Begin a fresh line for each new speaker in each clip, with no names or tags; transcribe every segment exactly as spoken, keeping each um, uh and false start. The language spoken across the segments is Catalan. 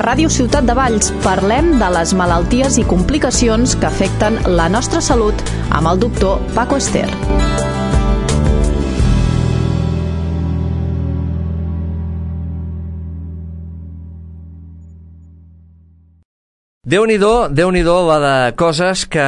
Ràdio Ciutat de Valls parlem de les malalties i complicacions que afecten la nostra salut amb el doctor Paco Ester.
Déu-n'hi-do, Déu-n'hi-do la de coses que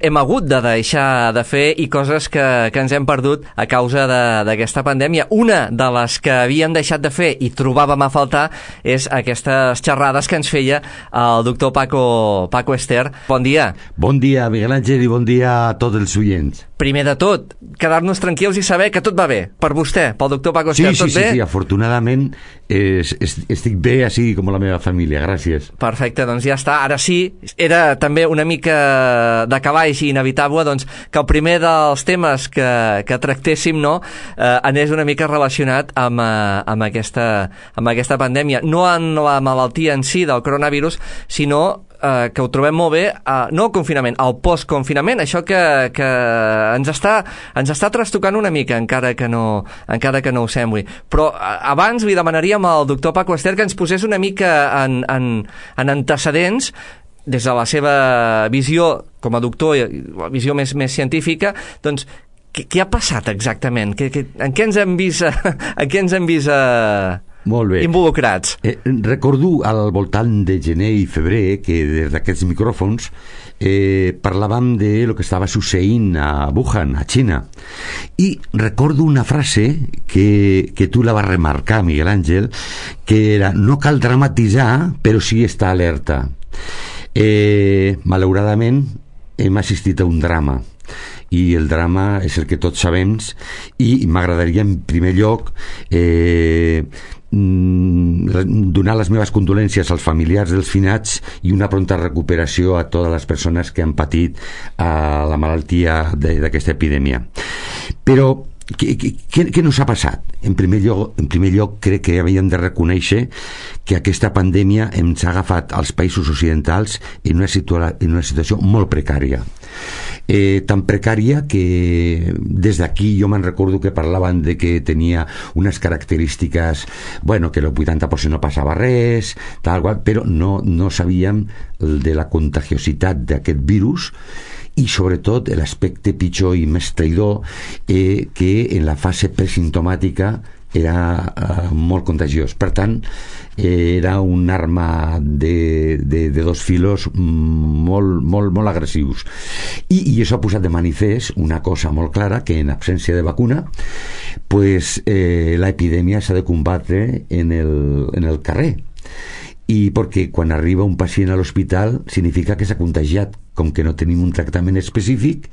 hem hagut de deixar de fer i coses que, que ens hem perdut a causa d'aquesta pandèmia. Una de les que havíem deixat de fer i trobàvem a faltar és aquestes xerrades que ens feia el doctor Paco, Paco Ester. Bon dia.
Bon dia, Miguel Ángel, i bon dia a tots els oients.
Primer de tot, quedar-nos tranquils i saber que tot va bé, per vostè, pel doctor Paco Ester,
sí,
tot
sí,
bé?
Sí, sí, afortunadament es, es, estic bé, així com la meva família, gràcies.
Perfecte, doncs ja està. Ara sí, era també una mica de calaix i inevitable doncs, que el primer dels temes que, que tractéssim no, eh, anés una mica relacionat amb, eh, amb, aquesta, amb aquesta pandèmia. No en la malaltia en si del coronavirus, sinó eh, que ho trobem molt bé, eh, no el confinament, el postconfinament, això que, que ens està, ens està trastocant una mica, encara que no, encara que no ho sembli. Però eh, abans li demanaríem al doctor Paco Ester que ens posés una mica en, en, en antecedents des de la seva visió com a doctor, la visió més, més científica, doncs, què, què ha passat exactament? Que, que, en què ens hem vist, en què ens hem vist eh,
Molt bé.
involucrats?
Eh, recordo al voltant de gener i febrer que des d'aquests micròfons eh, parlàvem de lo que estava succeint a Wuhan, a Xina. I recordo una frase que, que tu la vas remarcar, Miguel Ángel, que era: no cal dramatitzar, però sí estar alerta. Eh, malauradament hem assistit a un drama i el drama és el que tots sabem, i m'agradaria en primer lloc eh, donar les meves condolències als familiars dels finats i una pronta recuperació a totes les persones que han patit a la malaltia d'aquesta epidèmia. Però Què, què, què nos ha passat? En primer lloc, en primer lloc crec que havíem de reconèixer que aquesta pandèmia ens ha agafat als països occidentals en una, situa en una situació molt precària. Eh, tan precària que des d'aquí jo me'n recordo que parlaven de que tenia unes característiques, bueno, que el vuitanta per cent no passava res, tal qual, però no, no sabíem de la contagiositat d'aquest virus, i sobretot l'aspecte pitjor i més traïdor eh, que en la fase presimptomàtica era eh, molt contagiós. Per tant, eh, era una arma de, de, de dos filos molt, molt, molt agressius. I, i això ha posat de manifest una cosa molt clara, que en absència de vacuna, pues, eh, l'epidèmia s'ha de combatre en el, en el carrer. I perquè quan arriba un pacient a l'hospital significa que s'ha contagiat. Com que no tenim un tractament específic,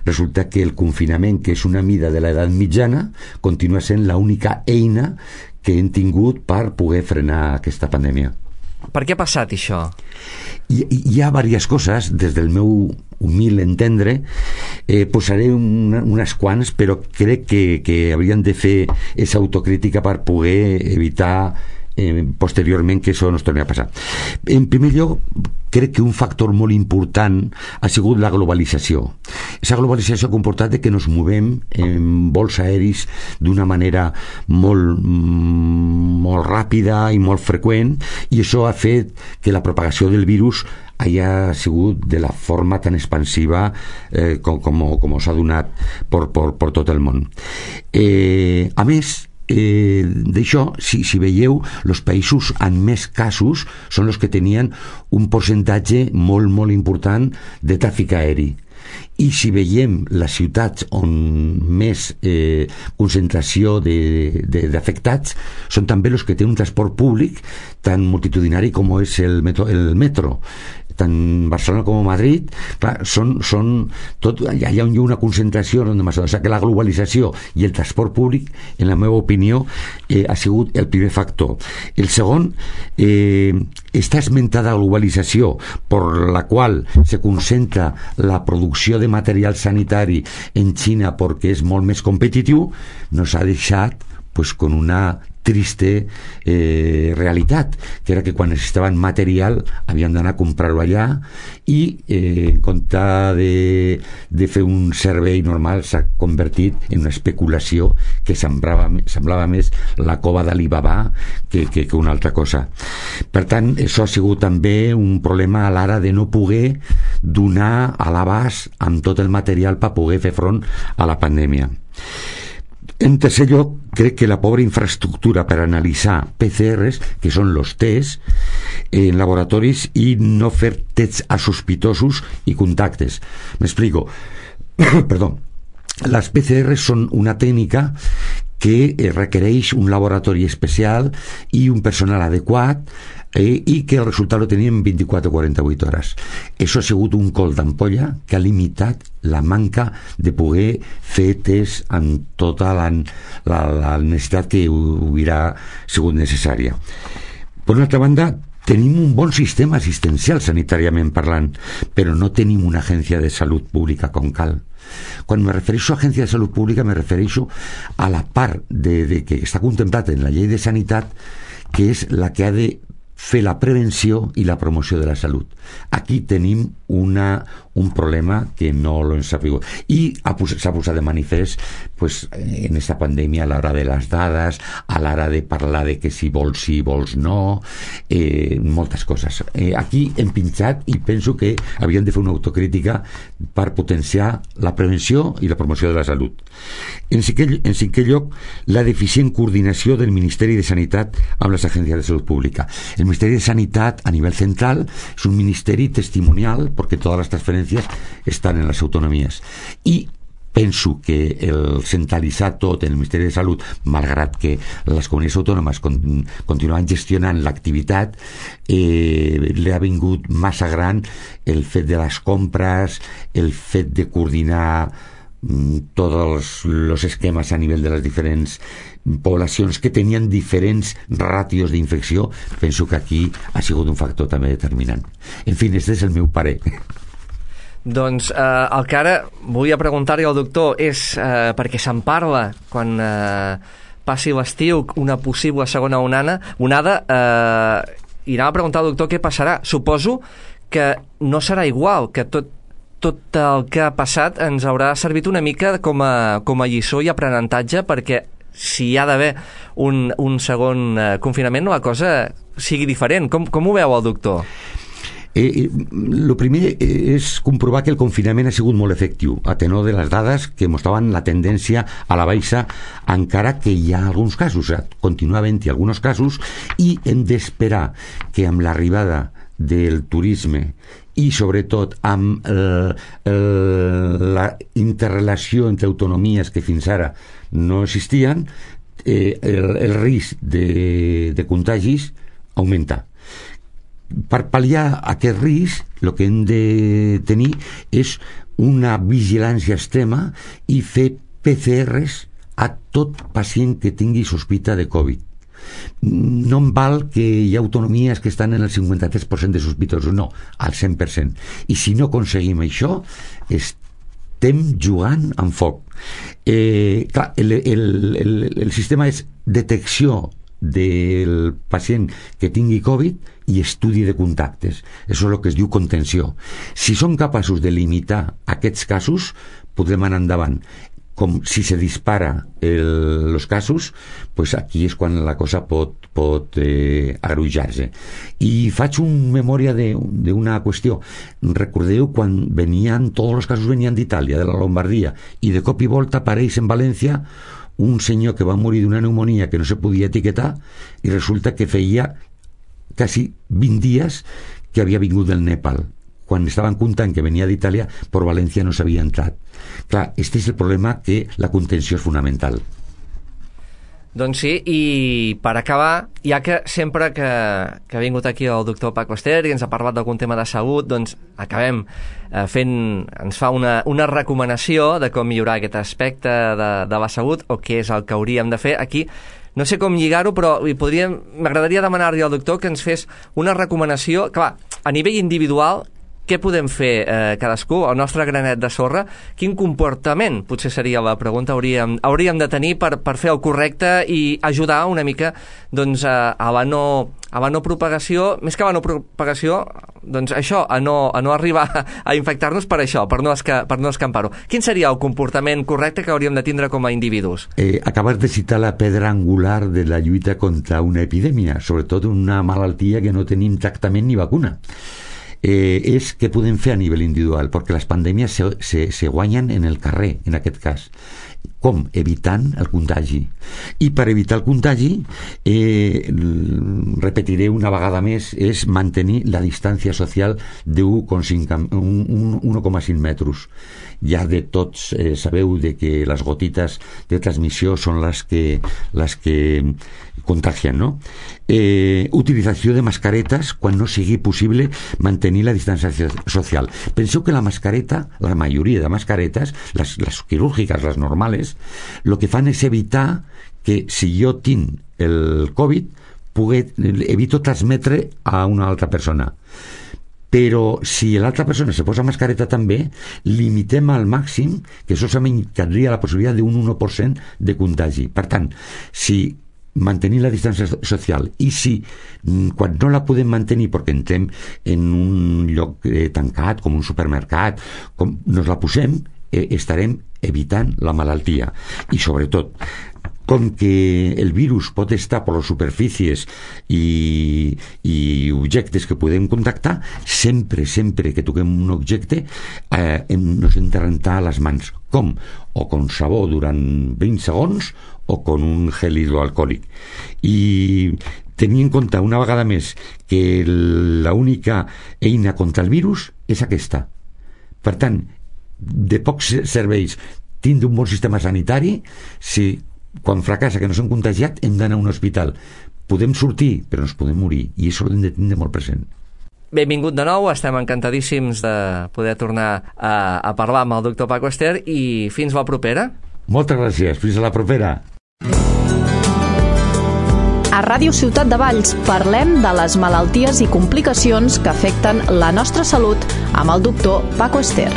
resulta que el confinament, que és una mida de l'edat mitjana, continua sent l'única eina que hem tingut per poder frenar aquesta pandèmia.
Per què ha passat això?
Hi, hi ha diverses coses, des del meu humil entendre, eh, posaré una, unes quants, però crec que, que haurien de fer aquesta autocrítica per poder evitar eh, posteriorment que això no es torni a passar. En primer lloc, crec que un factor molt important ha sigut la globalització. Aquesta globalització ha comportat que ens movem en vols aeris d'una manera molt, molt ràpida i molt freqüent, i això ha fet que la propagació del virus haya sigut de la forma tan expansiva eh, com, com, com s'ha donat per, per, per tot el món. Eh, a més, Eh, d'això, si, si veieu, els països amb més casos són els que tenien un percentatge molt, molt important de tràfic aeri. I si veiem les ciutats on més eh, concentració d'afectats són també els que tenen un transport públic tan multitudinari com és el metro, el metro. Tant Barcelona com Madrid, clar, són, són tot, allà hi ha una concentració, o sigui que la globalització i el transport públic, en la meva opinió, eh, ha sigut el primer factor. El segon, eh, està esmentada globalització per la qual se concentra la producció de material sanitari en Xina perquè és molt més competitiu, nos ha deixat pues, con una triste eh, realitat, que era que quan necessitaven material havien d'anar a comprar-ho allà i eh, en compte de, de fer un servei normal s'ha convertit en una especulació que semblava, semblava més la cova d'Alibaba que, que, que una altra cosa. Per tant, això ha sigut també un problema a l'hora de no poder donar a l'abast amb tot el material per poder fer front a la pandèmia. En tercer lloc, crec que la pobra infraestructura per analitzar P C Rs, que són els tests, en laboratoris i no fer tests a sospitosos i contactes. M'explico. Perdó. Les P C Rs són una tècnica que requereix un laboratori especial i un personal adequat eh, i que el resultat lo tenim en vint-i-quatre o quaranta-vuit hores. Això ha sigut un col d'ampolla que ha limitat la manca de poder fer test amb tota la, la, la necessitat que hubiera sigut necessària. Per una altra banda, tenim un bon sistema assistencial sanitàriament parlant, però no tenim una agència de salut pública com cal. Quan me refereixo a agència de salut pública me refereixo a la part de, de que està contemplat en la llei de sanitat, que és la que ha de fer la prevenció i la promoció de la salut. Aquí tenim una, un problema que no l'hem sabut. I s'ha posat de manifest pues, en aquesta pandèmia a l'hora de les dades, a l'hora de parlar de que si vols sí, vols no, eh, moltes coses. Eh, aquí hem pinxat i penso que havíem de fer una autocrítica per potenciar la prevenció i la promoció de la salut. En cinquè, en cinquè lloc, la deficient coordinació del Ministeri de Sanitat amb les agències de salut pública. El Ministeri de Sanitat a nivell central és un ministeri testimonial perquè totes les transferències estan en les autonomies. I penso que el centralitzar tot en el Ministeri de Salut, malgrat que les comunitats autònomes con, continuen gestionant l'activitat, eh, li ha vingut massa gran el fet de les compres, el fet de coordinar mm, tots els esquemes a nivell de les diferents poblacions que tenien diferents ràtios d'infecció. Penso que aquí ha sigut un factor també determinant. En fi, aquest és el meu parer.
Doncs eh, el que ara volia preguntar-li al doctor és, eh, perquè se'n parla quan eh, passi l'estiu, una possible segona onada, onada eh, i anava a preguntar al doctor què passarà. Suposo que no serà igual, que tot, tot el que ha passat ens haurà servit una mica com a, com a lliçó i aprenentatge, perquè si hi ha d'haver un, un segon eh, confinament, la cosa sigui diferent. Com, com ho veu el doctor?
Eh, el primer és comprovar que el confinament ha sigut molt efectiu, a tenor de les dades que mostraven la tendència a la baixa, encara que hi ha alguns casos, eh? Continua havent-hi alguns casos, i hem d'esperar que amb l'arribada del turisme i sobretot amb eh, eh, la interrelació entre autonomies que fins ara no existien, eh, el, el risc de, de contagis augmenta. Per pal·liar aquest risc, el que hem de tenir és una vigilància extrema i fer P C Rs a tot pacient que tingui sospita de Covid. No em val que hi ha autonomies que estan en el cinquanta-tres per cent de sospitosos, no, al cent per cent. I si no aconseguim això, estem jugant amb foc. Eh, clar, el, el, el, el sistema és detecció del pacient que tingui Covid i estudi de contactes. Això és el que es diu contenció. Si som capaços de limitar aquests casos, podrem anar endavant. Com si se dispara els casos, pues aquí és quan la cosa pot, pot eh, agrujar-se. I faig una memòria d'una qüestió. Recordeu quan venien, tots els casos venien d'Itàlia, de la Lombardia, i de cop i volta apareix en València un senyor que va morir d'una pneumonia que no se podia etiquetar i resulta que feia quasi vint dies que havia vingut del Nepal. Quan estaven comptant que venia d'Itàlia, per València no s'havia entrat. Clar, este és el problema, que la contenció és fonamental.
Doncs sí, i per acabar, ja que sempre que, que ha vingut aquí el doctor Paco Ester i ens ha parlat d'algun tema de salut, doncs acabem eh, fent, ens fa una, una recomanació de com millorar aquest aspecte de, de la salut, o què és el que hauríem de fer aquí. No sé com lligar-ho, però m'agradaria demanar-li al doctor que ens fes una recomanació, clar, a nivell individual, què podem fer eh, cadascú, el nostre granet de sorra? Quin comportament, potser seria la pregunta, hauríem, hauríem de tenir per, per fer el correcte i ajudar una mica doncs, a, a, la no, a la no propagació, més que a la no propagació, doncs això, a no, a no arribar a infectar-nos per això, per no, esca, per no escampar-ho. Quin seria el comportament correcte que hauríem de tindre com a individus?
Eh, acabas de citar la pedra angular de la lluita contra una epidèmia, sobretot una malaltia que no tenim tractament ni vacuna. Eh, és què podem fer a nivell individual, perquè les pandèmies se, se, se guanyen en el carrer, en aquest cas. Com? Evitant el contagi. I per evitar el contagi, eh, repetiré una vegada més, és mantenir la distància social de un coma cinc metres. Ja de tots eh, sabeu de que les gotites de transmissió són les que, les que contagien, no? Eh, utilització de mascaretes quan no sigui possible mantenir la distància social. Penseu que la mascareta, la majoria de mascaretes, les, les quirúrgiques, les normals, el que fan és evitar que si jo tinc el Covid pugui, evito transmetre a una altra persona. Però si l'altra persona se posa mascareta també, limitem al màxim que solament tindria la possibilitat d'un u per cent de contagi. Per tant, si mantenir la distància social i si quan no la podem mantenir perquè entrem en un lloc eh, tancat com un supermercat, com nos la posem, eh, estarem evitant la malaltia. I sobretot, com que el virus pot estar per les superfícies i, i objectes que podem contactar, sempre, sempre que toquem un objecte eh, ens hem de rentar les mans. Com? O con sabó durant vint segons o con un gel hidroalcohòlic. I tenir en compte una vegada més que l'única eina contra el virus és aquesta. Per tant, de pocs serveis tindre un bon sistema sanitari si quan fracassa que no s'han contagiat hem d'anar a un hospital. Podem sortir, però ens podem morir, i això ho hem de tindre molt present.
Benvingut de nou, estem encantadíssims de poder tornar a, a parlar amb el doctor Paco Ester i fins la propera.
Moltes gràcies, fins a la propera.
A Ràdio Ciutat de Valls parlem de les malalties i complicacions que afecten la nostra salut amb el doctor Paco Ester.